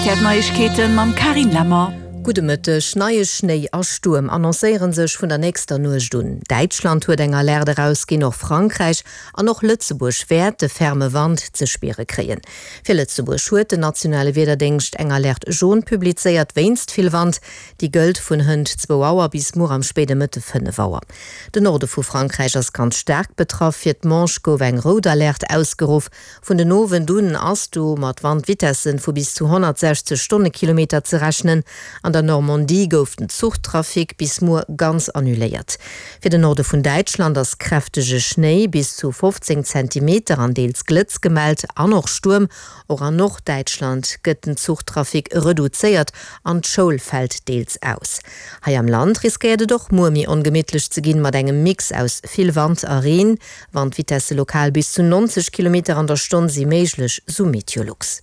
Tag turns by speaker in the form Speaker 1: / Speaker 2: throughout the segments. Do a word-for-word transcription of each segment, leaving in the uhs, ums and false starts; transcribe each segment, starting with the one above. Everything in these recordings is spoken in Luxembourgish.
Speaker 1: R T L Neiegkeeten mam Carine Lemmer.
Speaker 2: Gudde Mëtteg. Neie Schnéi a Stuerm annoncéiere sech vun der nächster Nuecht un. Däitschland huet eng Alerte erausginn, och Frankräich an och Lëtzebuerg wäert de ferme Wand ze spiere kréien. Fir Lëtzebuerg huet den nationale Wiederdéngscht eng Alerte jaune publizéiert wéinst vill Wand. Déi gëllt vun hënt zwou Auer bis muer am spéide Mëtte fënnef Auer. Den Norde vu Frankräich ass ganz staark betraff. Fir d'Manche gouf eng rout Alerte ausgeruff. Vun den Owend un ass do mat Wandvitessen vu bis zu honnertsechzeg Stonnekilometer ze rechnen. An der Normandie gouf den Zuchtrafic bis muer ganz annuléiert. Fir den Norde vun Däitschland ass kräftege Schnéi bis zu fofzéng Zentimeter an deels Glëtz gemellt an och Stuerm. Och an Norddäitschland gëtt den Zuchtrafic reduzéiert an d'Schoul fält deels aus. Hei am Land riskéiert et och muer méi ongemittlech ze ginn, mat engem Mix aus vill Wand a Reen. Wandvitesse lokal bis zu neunzeg Kilometer an der Stonn si méiglech, sou Meteolux.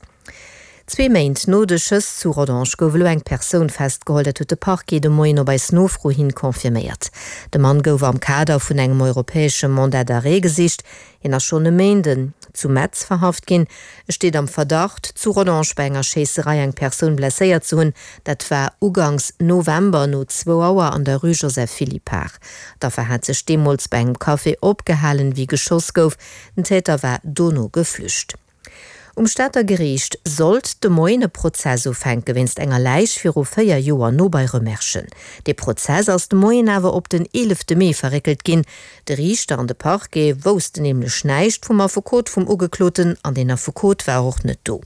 Speaker 2: Zwee Méint no de Schëss zu Rodange gouf elo eng Persoun festgeholl. Dat huet de Parquet de Moien op eis Nofro hin confirméiert. De Mann gouf am Kader vun engem europäesche Mandat d'arrêt gesicht. Hien ass schonn e Méinden zu Metz verhaft ginn. E steet am Verdacht, zu Rodange bei enger Schéisserei eng Persoun blesséiert ze hunn. Dat war uganks November no zwou Auer an der Rue Joseph Philippart. D'Affer hat sech deemools bei engem Café opgehalen, wéi geschoss gouf. Den Täter war dono geflücht. Um Stater Geriicht sollt de Moien e Prozess ufänke wéinst enger Läich viru véier Joer no bei Remerschen. Dee Prozess ass de Moien awer op den eelefte Mee verréckelt ginn. De Riichter an de Parquet woussten nämlech näischt vum Affekot vum Ugekloten an deen Affekot war och net do.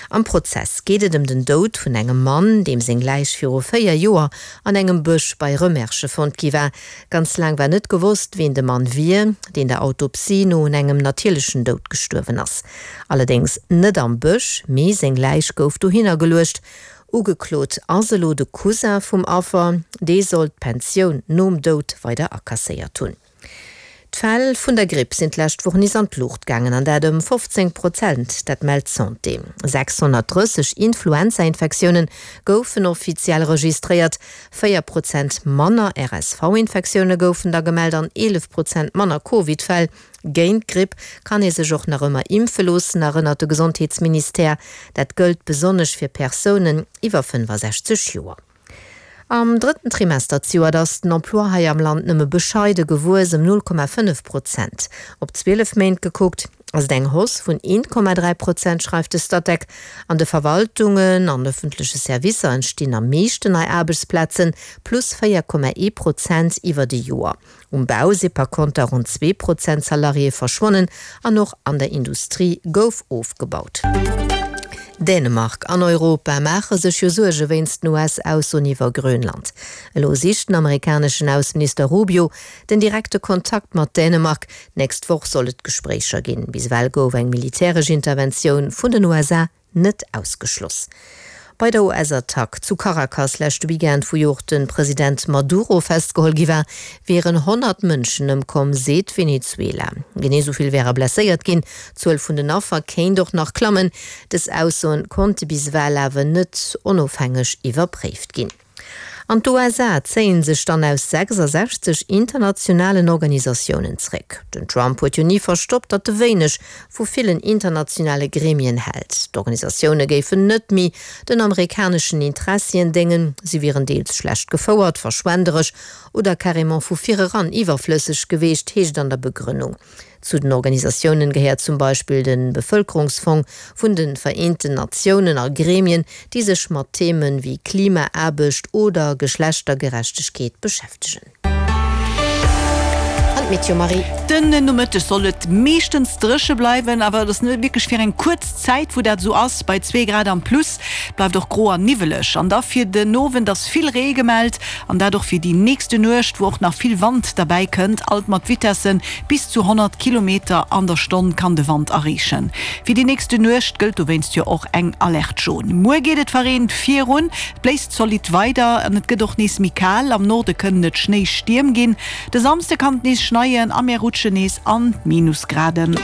Speaker 2: Am Prozess geet et ëm den Doud vun engem Mann, deem seng Läich viru véier Joer an engem Bësch bei Remerschen fonnt gi war. Ganz laang war net gewosst, wien de Mann wier, deen der Autopsie no un engem natierlechen Doud gestuerwen ass. Allerdéngs net am Bësch, mee seng Läich gouf dohinner geluecht. Ugeklot ass elo de Cousin vum Affer, dee soll d'Pensioun nom Doud weider akasséiert hunn. D'Fäll vun der Gripp sinn d'lescht Woch nees an d'Luucht gaangen, an dat ëm fofzéng Prozent, dat mellt d'Santé. sechshonnertdrësseg Influenza-Infektioune goufen offiziell registréiert, véier Prozent manner R S V-Infektioune goufen da gemellt an eelef Prozent manner Covid-Fäll. Géint d'Gripp kann ee sech och nach ëmmer impfe loossen, erënnert de Gesondheetsministère. Dat gëllt besonnesch fir Persounen iwwer fënnefasechzeg Joer. Am drëtten Trimester zejoert ass den Emploi hei am Land nëmme bescheide gewuess ëm null Komma fënnef Prozent. Op zwielef Méint gekuckt ass et eng Hausse vun een Komma dräi Prozent, schreift de Statec. An de Verwaltungen an ëffentleche Servicer entstinn am meeschten nei Aarbechtsplazen, plus véier Komma ee Prozent iwwer de Joer. Um Bau si par konter ronn zwee Prozent Salariéë verschwonnen an och an der Industrie gouf ofgebaut. Dänemark an Europa maache sech jo Suerge wéinst den U S-Aussoen iwwer Grönland. Elo sicht den amerikaneschen Ausseminister Rubio den direkte Kontakt mat Dänemark. D'nächst Woch soll et Gespréicher ginn. Bis ewell gouf eng militäresch Interventioun vun den U S A net ausgeschloss. Bei der U S-Attack zu Caracas leschte Weekend, wou jo och de President Maduro festgeholl gi war, wieren honnert Mënschen ëmkomm, seet Venezuela. Genee esou vill wäre blesséiert ginn. D'Zuel vun den Affer kéint och nach klammen. Dës Aussoen konnte bis ewell awer net onofhängeg iwwerpréift ginn. An d'U S A zéien sech dann aus sechsasechzeg internationalen Organisatiounen zréck. Den Trump huet jo ni verstoppt, datt e wéineg vu villen internationale Gremien hält. D'Organisatioune géifen net méi den amerikaneschen Interessien déngen. Si wieren deels schlecht gefouert, verschwenderesch oder carrément vu vireran iwwerflësseg geweecht, heescht an der Begrënnung. Zu den Organisatiounen gehéiert zum Beispill den Bevëlkerungsfong vun den Vereenten Natiounen a Gremien, déi sech mat Themen wéi Klima, Aarbecht oder Geschlechtergerechtegkeet beschäftegen. An d'Meteo, Marie.
Speaker 1: Den Nomëtteg soll et meeschtens dréche bleiwen, awer et ass net wierklech fir eng kuerz Zäit, wou dat esou ass. Bei zwee Grad am Plus bleift och gro an niwweleg. An da fir den Owend ass vill Ree gemellt, an dat och fir déi nächste Nuecht, wou och nach vill Wand derbäi kënnt. Alt mat Vitessen bis zu honnert Kilometer an der Stonn kann de Wand erreechen. Fir déi nächste Nuecht gëllt dowéinst jo och eng Alerte jaune. Muer geet et verreent virun, et bléist zolidd weider an et gëtt och nees méi kal. Am Norde kënnen et Schnéistierm ginn. De Samsde kann et nees schneien a mir rutschen nees an d'Minusgraden.